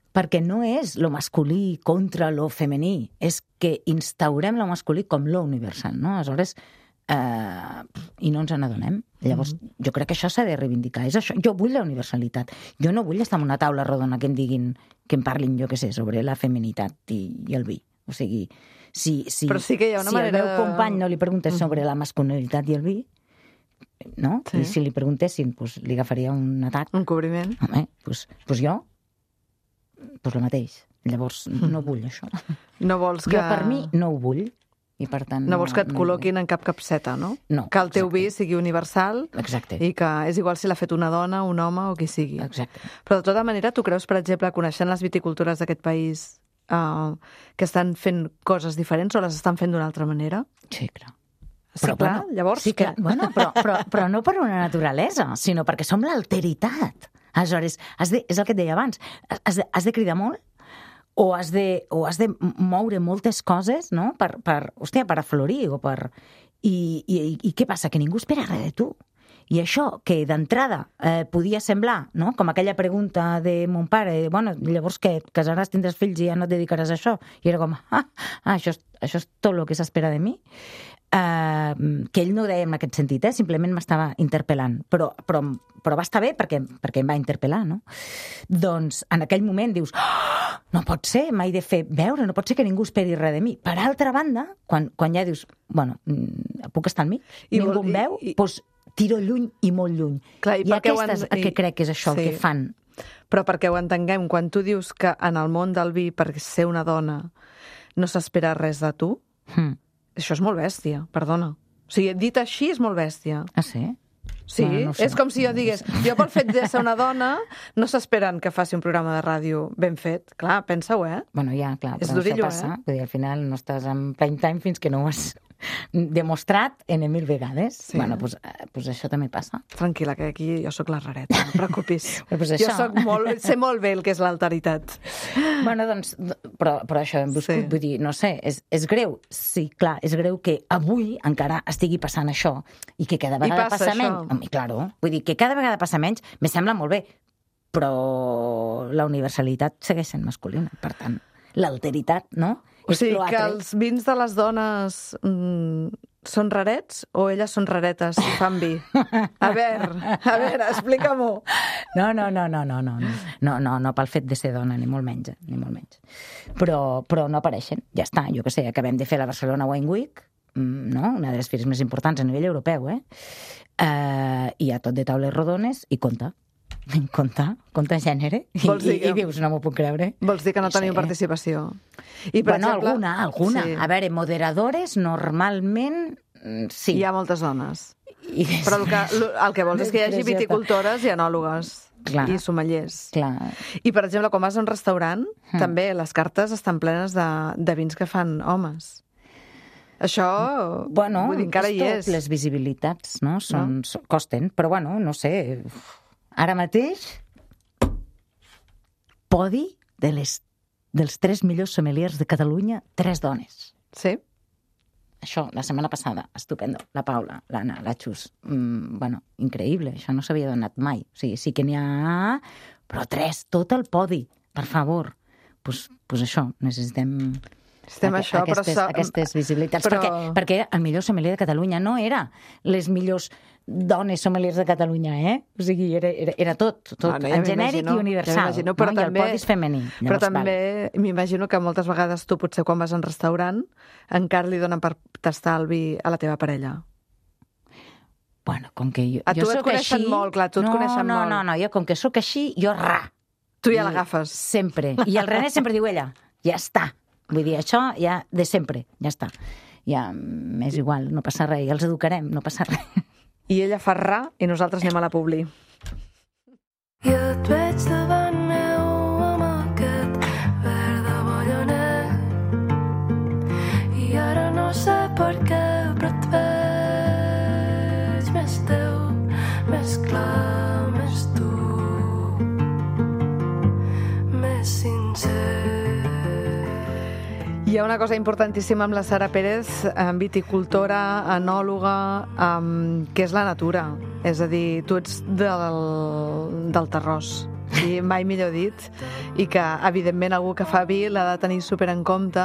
Perquè no és lo masculí contra lo femení, és que instaurem lo masculí com lo universal, no? Aleshores, i no ens n'adonem. Llavors, jo crec que això s'ha de reivindicar. És això. Jo vull la universalitat. Jo no vull estar en una taula rodona que em diguin, que em parlin, jo què sé, sobre la feminitat i el vi. O sigui, Però sí que hi ha una manera al meu company no li preguntes sobre la masculinitat i el vi, no? Sí. I si li preguntessin, doncs li agafaria un atac. Un cobriment. Home, doncs jo, doncs el mateix. Llavors, no vull això. No vols que... Jo, per mi, no ho vull. I per tant... No vols que et col·loquin en cap capseta, no? No, que el teu exacte. vi sigui universal Exacte. i que és igual si l'ha fet una dona, un home o qui sigui. Exacte. Però de tota manera, tu creus, per exemple, coneixent les viticultures d'aquest país, que estan fent coses diferents o les estan fent d'una altra manera? Sí, clar. Sí, clar, llavors... Sí, clar. Bueno, però no per una naturalesa, sinó perquè som l'alteritat. Aleshores, és el que et deia abans, has de cridar molt o has de moure moltes coses, no?, per aflorir o per... I què passa? Que ningú espera res de tu. I això, que d'entrada podia semblar, no?, com aquella pregunta de mon pare, bueno, llavors què, casaràs, tindràs fills i ja no et dedicaràs a això? I era com, això és tot el que s'espera de mi. Que ell no ho deia en aquest sentit, simplement m'estava interpel·lant, però va estar bé perquè em va interpel·lar, no? Doncs en aquell moment dius, no pot ser, m'he de fer veure, no pot ser que ningú esperi res de mi. Per altra banda, quan ja dius, bueno, puc estar al mig, ningú em veu, doncs tiro lluny i molt lluny. Clar, I aquest és el que crec que és això, el que fan. Però perquè ho entenguem, quan tu dius que en el món del vi, per ser una dona, no s'espera res de tu, això és molt bèstia, perdona. O sigui, dit així és molt bèstia. Ah, sí? Sí, no sé. És com si jo digués, jo pel fet de ser una dona no s'esperen que faci un programa de ràdio ben fet. Clar, pensa-ho, Bueno, ja, clar, És però durillo, això passa. Vull dir, al final no estàs en prime time fins que no ho has demostrat en 1000 vegades. Sí. Bueno, doncs això també passa. Tranquil·la, que aquí jo sóc la rareta, no et preocupis. Pues Jo això. sé molt bé el que és l'alteritat. Bueno, doncs, però això hem viscut, vull dir, no sé, és greu. Sí, clar, és greu que avui encara estigui passant això i que cada vegada passa passa menys. Home, claro, vull dir que cada vegada passa menys, me sembla molt bé, però la universalitat segueix sent masculina, per tant, l'alteritat, no? O sigui, que els vins de les dones són rarets o elles són raretes i fan vi? A veure, explica-m'ho. No, pel fet de ser dona, ni molt menys, ni molt menys. Però no apareixen, ja està, jo què sé, acabem de fer la Barcelona Wine Week, no? Una de les fires més importants a nivell europeu, hi ha tot de taules rodones i compta gènere, i dius, no m'ho puc creure. Vols dir que no teniu participació? I, per exemple, alguna. Sí. A veure, moderadores, normalment, sí. Hi ha moltes dones. Però el que vols és que hi hagi viticultores i enòlogues. Clar. I sommeliers. Clar. I, per exemple, quan vas a un restaurant, també les cartes estan plenes de vins que fan homes. Això, vull dir, encara hi és. Les visibilitats, no? Costen, però bueno, no sé. Ara mateix, podi dels 3 millors sommeliers de Catalunya, 3 dones. Sí? Això, la setmana passada, estupendo. La Paula, l'Anna, la Xus. Bueno, increïble, això no s'havia donat mai. O sigui, sí que n'hi ha... Però 3, tot el podi, per favor. Pues això, necessitem... Aquestes visibilitats. Perquè el millor sommelier de Catalunya no era les millors dones sommeliers de Catalunya, O sigui, era tot en genèric i universal. I el podi és femení. Però també m'imagino que moltes vegades tu, potser quan vas a un restaurant, encara li donen per tastar el vi a la teva parella. Bueno, com que jo... A tu et coneixen molt, clar, tu et coneixen molt. No, jo com que sóc així, jo Tu ja l'agafes. Sempre. I el René sempre diu ella, ja està. Vull dir, això ja de sempre, ja està. Ja m'és igual, no passa res, ja els educarem, no passa res. I ella fa ra i nosaltres anem a la publi. I et veig davant meu amb aquest verd de bolloner i ara no sé per què, però et veig més teu, més clar, més tu, més sincer. Hi ha una cosa importantíssima amb la Sara Pérez, viticultora, enòloga, que és la natura. És a dir, tu ets del terrós, i mai millor dit, i que, evidentment, algú que fa vi l'ha de tenir super en compte,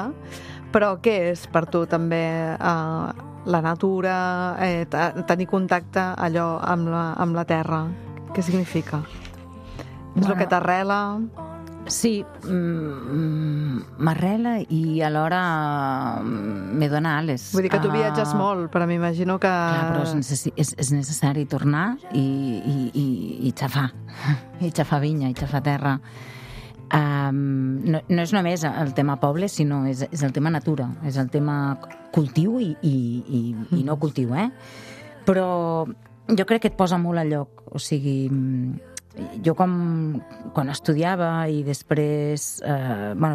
però què és per tu també la natura, tenir contacte allò amb la terra? Què significa? És el que t'arrela? Sí, m'arrela i alhora me dona ales. Vull dir que tu viatges molt, però m'imagino que... Clar, però és necessari tornar i xafar. I xafar vinya, i xafar terra. No és només el tema poble, sinó és el tema natura, és el tema cultiu i no cultiu, Però jo crec que et posa molt a lloc, o sigui, jo quan estudiava i després,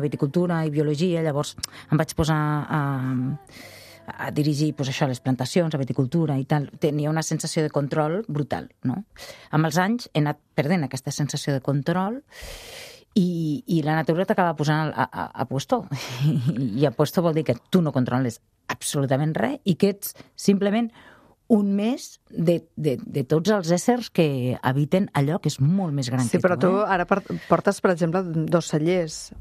viticultura i biologia, llavors em vaig posar a dirigir les plantacions, a viticultura i tal, tenia una sensació de control brutal, no? Amb els anys he anat perdent aquesta sensació de control i la natura t'acaba posant a puesto. I a puesto vol dir que tu no controles absolutament res i que ets simplement un més de tots els éssers que habiten allò que és molt més gran que tu. Sí, però tu ara portes, per exemple, 2 cellers.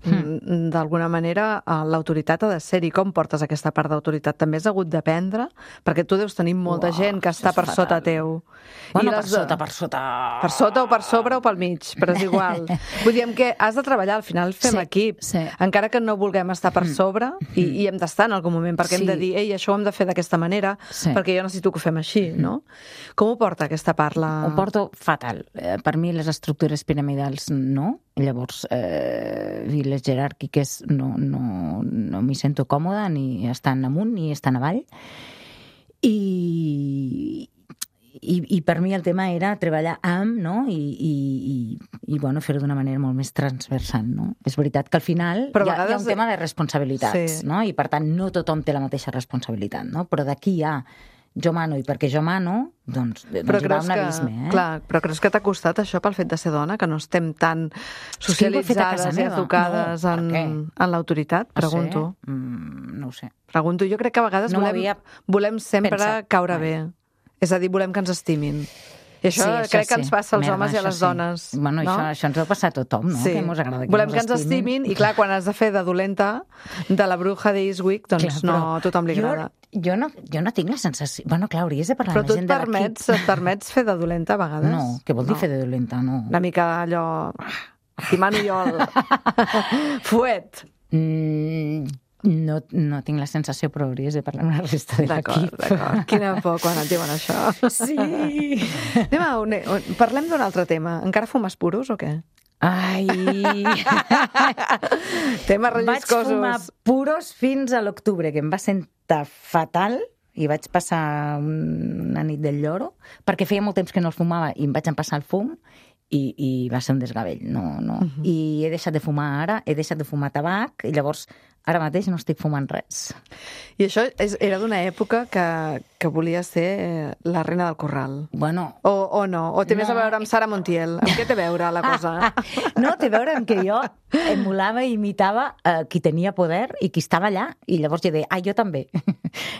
D'alguna manera, l'autoritat ha de ser-hi. Com portes aquesta part d'autoritat? També has hagut d'aprendre? Perquè tu deus tenir molta gent que està per sota teu. Bueno, per sota. Per sota o per sobre o pel mig, però és igual. Vull dir que has de treballar, al final fem equip. Sí. Encara que no vulguem estar per sobre, i hem d'estar en algun moment, perquè hem de dir, ei, això ho hem de fer d'aquesta manera, perquè jo necessito que ho fem així, no? Com ho porta aquesta part? Ho porto fatal. Per mi les estructures piramidals no. Llavors, les jeràrquiques no m'hi sento còmoda ni estan amunt ni estan avall. I per mi el tema era treballar amb, no? I fer-ho d'una manera molt més transversal, no? És veritat que al final hi ha un tema de responsabilitats, no? I per tant no tothom té la mateixa responsabilitat, no? Però d'aquí a jo mano i perquè jo mano, doncs hi va un abisme, Clar, però creus que t'ha costat això pel fet de ser dona, que no estem tan socialitzades i educades en l'autoritat? Pregunto. No ho sé. Pregunto. Jo crec que a vegades volem sempre caure bé. És a dir, volem que ens estimin. I això crec que ens passa als homes i a les dones. Bueno, això ens deu passar a tothom, no? Que mos agrada que volem que ens estimin i, clar, quan has de fer de dolenta de la bruja d'Eastwick, doncs no a tothom li agrada. Jo no tinc la sensació... Bueno, clar, hauries de parlar amb la gent de l'equip. Però tu et permets fer de dolenta a vegades? No, què vol dir fer de dolenta? No. Una mica allò... T'hi mano jo el... fuet. No tinc la sensació, però hauries de parlar amb la resta de l'equip. D'acord. Quina por quan et diuen això. Sí. Parlem d'un altre tema. Encara fumes puros o què? Ai! Temes relliscosos. Vaig fumar puros fins a l'octubre, que em va sentar fatal, i vaig passar una nit del lloro, perquè feia molt temps que no els fumava i em vaig empassar el fum, i va ser un desgavell. No. I he deixat de fumar ara, he deixat de fumar tabac, i llavors ara mateix no estic fumant res. I això era d'una època que volia ser la reina del corral. Bueno... O no? O té més a veure amb Sara Montiel? Amb què té a veure la cosa? No, té a veure amb que jo emulava i imitava qui tenia poder i qui estava allà, i llavors jo deia, jo també.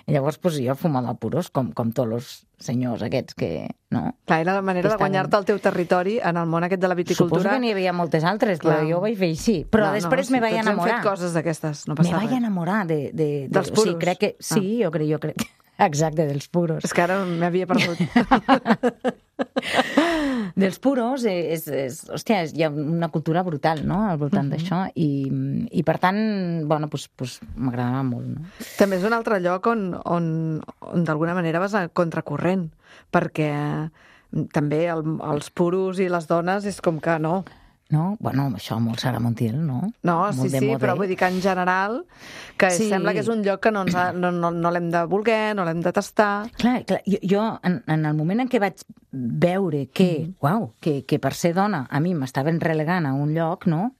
I llavors jo fumava puros, com tots els senyors aquests que... No? Clar, era la manera de guanyar-te el teu territori en el món aquest de la viticultura. Suposo que n'hi havia moltes altres, però jo ho vaig fer així. Però després me vaig enamorar. Tots hem fet coses d'aquestes, no passa res. Me vaig enamorar dels puros. O sigui, crec que... Sí, jo crec que... Exacte, dels puros. És que ara m'havia perdut. Dels puros, hòstia, hi ha una cultura brutal, no?, al voltant d'això, i per tant, bueno, doncs m'agradava molt, no? També és un altre lloc on d'alguna manera vas a contracorrent, perquè també els puros i les dones és com que no... No? Bueno, això molt Sara Montiel, no? No, sí, però vull dir que en general que sembla que és un lloc que no l'hem de voler, no l'hem de tastar. Clar, jo en el moment en què vaig veure que per ser dona a mi m'estaven relegant a un lloc, no?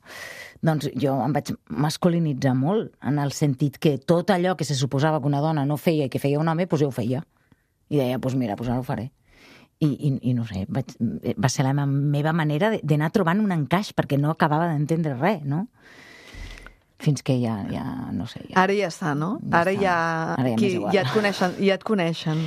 Doncs jo em vaig masculinitzar molt, en el sentit que tot allò que se suposava que una dona no feia i que feia un home, doncs jo ho feia. I deia, doncs mira, ara ho faré. I no sé, va ser la meva manera d'anar trobant un encaix, perquè no acabava d'entendre res, no? Fins que ja no sé... Ara ja està, no? Ara ja et coneixen.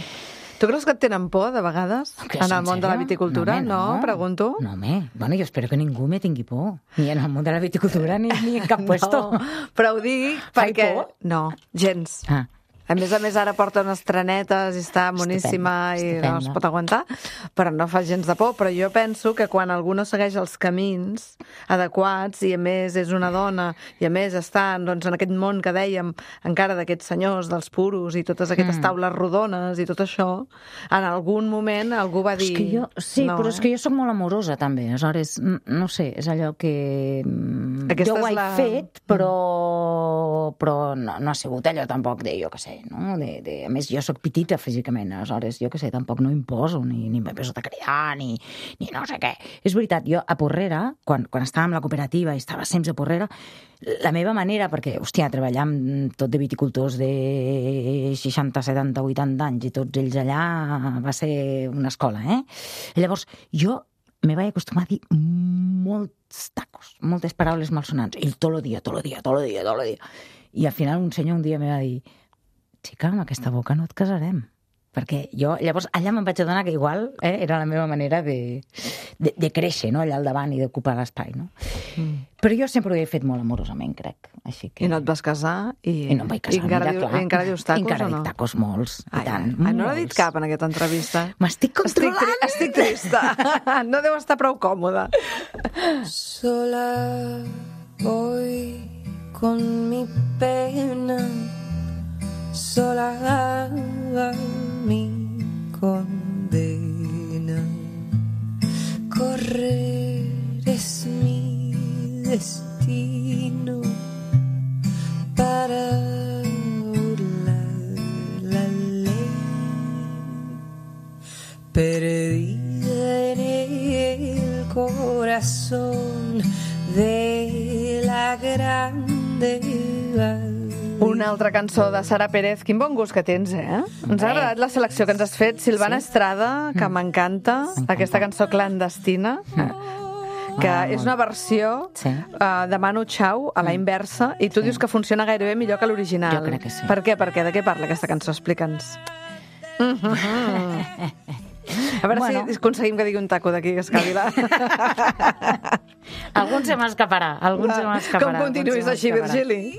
Tu creus que et tenen por, de vegades, en el món de la viticultura? No, pregunto. No, home. Bueno, jo espero que ningú me tingui por. Ni en el món de la viticultura, ni en cap puesto. Però ho dic perquè... No, gens. A més, ara porta unes trenetes i està moníssima i no es pot aguantar, però no fa gens de por. Però jo penso que quan algú no segueix els camins adequats i a més és una dona i a més està doncs, en aquest món que dèiem encara d'aquests senyors, dels puros i totes aquestes taules rodones i tot això, en algun moment algú va dir... Però és que jo sóc molt amorosa també, aleshores, no sé, és allò que jo ho he fet, però no ha sigut allò tampoc de, jo què sé, no? A més, jo sóc petita físicament, aleshores, jo què sé, tampoc no imposo, ni m'empeso a cridar, ni no sé què. És veritat, jo a Porrera, quan estava amb la cooperativa i estava sempre a Porrera, la meva manera, perquè, hòstia, treballar amb tot de viticultors de 60, 70, 80 anys i tots ells allà va ser una escola, I llavors, jo me vaig acostumar a dir molts tacos, moltes paraules malsonants, i tot el dia. I al final un senyor un dia me va dir, xica, amb aquesta boca no et casarem. Perquè jo, llavors, allà me'n vaig adonar que igual era la meva manera de créixer, no?, allà al davant i d'ocupar l'espai, no? Però jo sempre ho he fet molt amorosament, crec. Així que... I no et vas casar? I no em vaig casar, I encara dius tacos o no? Encara dic tacos molts, i tant. No n'ha dit cap en aquesta entrevista. M'estic controlant! Estic trista. No deu estar prou còmoda. Sola voy con mi pena, sola mi condena. Correr es mi destino para burlar la ley, perdida en el corazón de la grande Una altra cançó de Sara Pérez. Quin bon gust que tens, Ens ha agradat la selecció que ens has fet. Silvana Estrada, que m'encanta, aquesta cançó clandestina, que és una versió de Manu Chao a la inversa, i tu dius que funciona gairebé millor que l'original. Jo crec que sí. Per què? De què parla aquesta cançó? Explica'ns. A veure si aconseguim que digui un taco d'aquí, que escavila. Algun se m'escaparà. Com continuïs així, Virgili?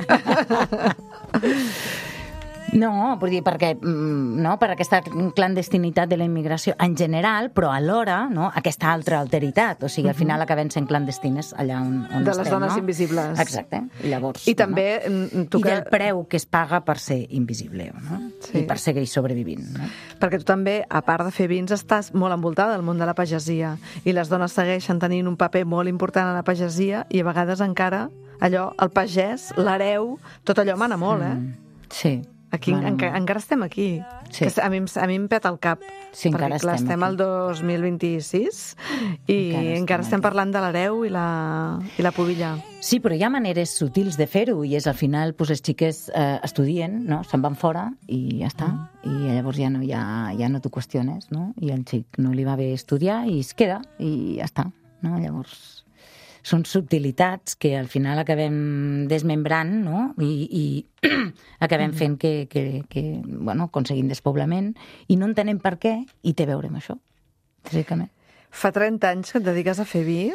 No, vull dir, perquè per aquesta clandestinitat de la immigració en general, però alhora aquesta altra alteritat, o sigui, al final acaben sent clandestines allà on estem. De les dones invisibles. Exacte. Llavors, I també... I del preu que es paga per ser invisible, no? I per seguir sobrevivint, no? Perquè tu també, a part de fer vins, estàs molt envoltada del món de la pagesia, i les dones segueixen tenint un paper molt important a la pagesia, i a vegades encara allò, el pagès, l'hereu, tot allò mana molt, Sí. Aquí, encara estem aquí. Sí. Que a mi em peta el cap. Sí, encara perquè estem al 2026 i encara estem parlant de l'hereu i la pubilla. Sí, però hi ha maneres sutils de fer-ho, i és al final les xiques estudien, no? Se'n van fora i ja està. I llavors ja no t'ho qüestiones, no? I al xic no li va bé estudiar i es queda i ja està, no? Llavors són subtilitats que al final acabem desmembrant, no? I acabem fent que aconseguim despoblament i no entenem per què, i té a veure amb això, bàsicament. Fa 30 anys que et dediques a fer vi.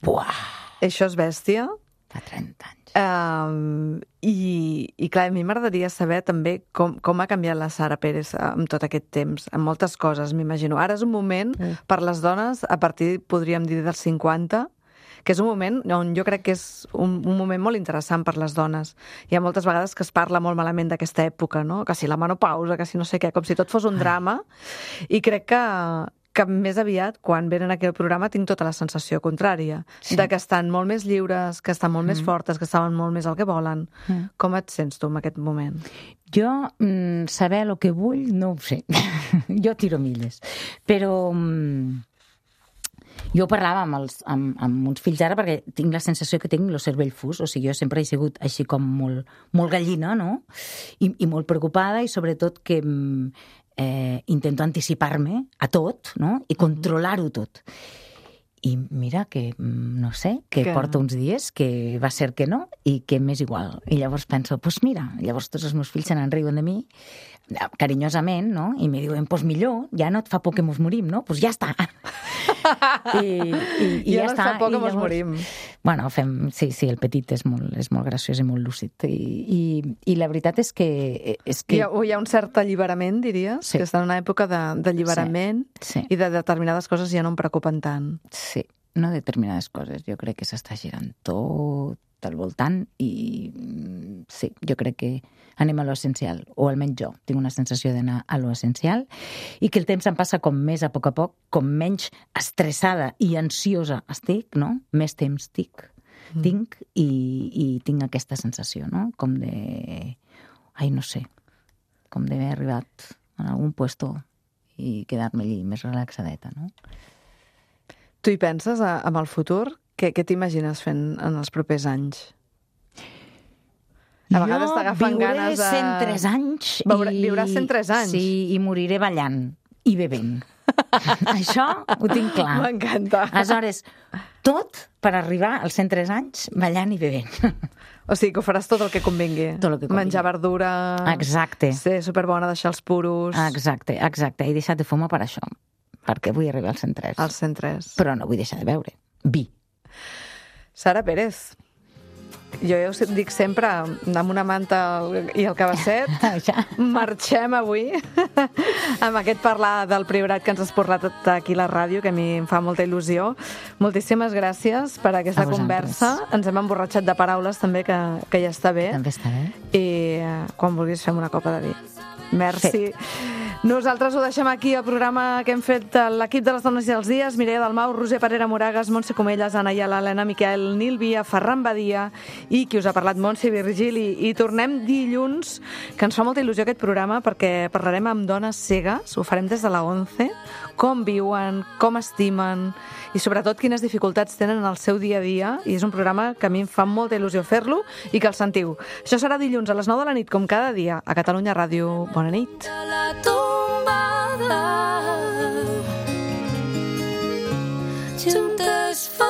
Buah! Això és bèstia. Fa 30 anys. I clar, a mi m'agradaria saber també com ha canviat la Sara Pérez amb tot aquest temps, amb moltes coses, m'imagino. Ara és un moment per les dones, a partir, podríem dir, dels 50, que és un moment on jo crec que és un moment molt interessant per les dones. Hi ha moltes vegades que es parla molt malament d'aquesta època, no? Que si la menopausa, que si no sé què, com si tot fos un drama. I crec que més aviat, quan venen aquí al programa, tinc tota la sensació contrària, de que estan molt més lliures, que estan molt més fortes, que saben molt més el que volen. Com et sents tu en aquest moment? Jo, saber el que vull, no ho sé. Jo tiro milles. Però... Jo parlava amb uns fills ara perquè tinc la sensació que tinc el cervell fus, o sigui, jo sempre he sigut així com molt gallina, no? I molt preocupada, i sobretot que intento anticipar-me a tot, no? I controlar-ho tot. I mira que, no sé, que porta uns dies que va ser que no i que m'és igual. I llavors penso, doncs mira, llavors tots els meus fills se n'enriuen de mi, carinyosament, no? I me diuen, pues millor, ja no et fa por que mos morim, no? Pues ja està. I ja no et fa por que mos morim. Bueno, sí, el petit és molt graciós i molt lúcid. I la veritat és que... Hi ha un cert alliberament, diries? Sí. Que està en una època d'alliberament i de determinades coses ja no em preocupen tant. Sí, no determinades coses. Jo crec que s'està girant tot al voltant i sí, jo crec que anem a lo essencial, o almenys jo tinc una sensació d'anar a lo essencial i que el temps em passa com més a poc, com menys estressada i ansiosa estic, no? Més temps tinc i tinc aquesta sensació, no? Com de... no sé, com d'haver arribat a algun puesto i quedar-me allí més relaxadeta, no? Tu hi penses amb el futur? Què t'imagines fent en els propers anys? A vegades t'agafen ganes de... Jo viuré 103 anys. Viuràs 103 anys? Sí, i moriré ballant i bevent. Això ho tinc clar. M'encanta. Aleshores, tot per arribar als 103 anys ballant i bevent. O sigui, que ho faràs tot el que convingui. Tot el que convingui. Menjar verdura... Exacte. Ser superbona, deixar els puros... Exacte. He deixat de fumar per això, perquè vull arribar als 103. Als 103. Però no vull deixar de beure. Vi. Sara Pérez, jo ja us dic sempre, amb una manta i el cabasset, marxem avui amb aquest parlar del Priorat que ens has portat aquí a la ràdio, que a mi em fa molta il·lusió. Moltíssimes gràcies per aquesta conversa. Ens hem emborratxat de paraules també, que ja està bé. També està bé. I quan vulguis fem una copa de vi. Merci. Nosaltres ho deixem aquí, el programa que hem fet l'equip de les dones i els dies, Mireia Dalmau, Roser Parera Moragas, Montse Comelles, Anna Iala, Helena Miquel, Nil Via, Ferran Badia i qui us ha parlat, Montse Virgili. I tornem dilluns, que ens fa molta il·lusió aquest programa perquè parlarem amb dones cegues, ho farem des de la 11, com viuen, com estimen i sobretot quines dificultats tenen en el seu dia a dia, i és un programa que a mi em fa molta il·lusió fer-lo i que el sentiu. Això serà dilluns a les 9 de la nit, com cada dia, a Catalunya Ràdio. Bona nit. La tumbada juntes fa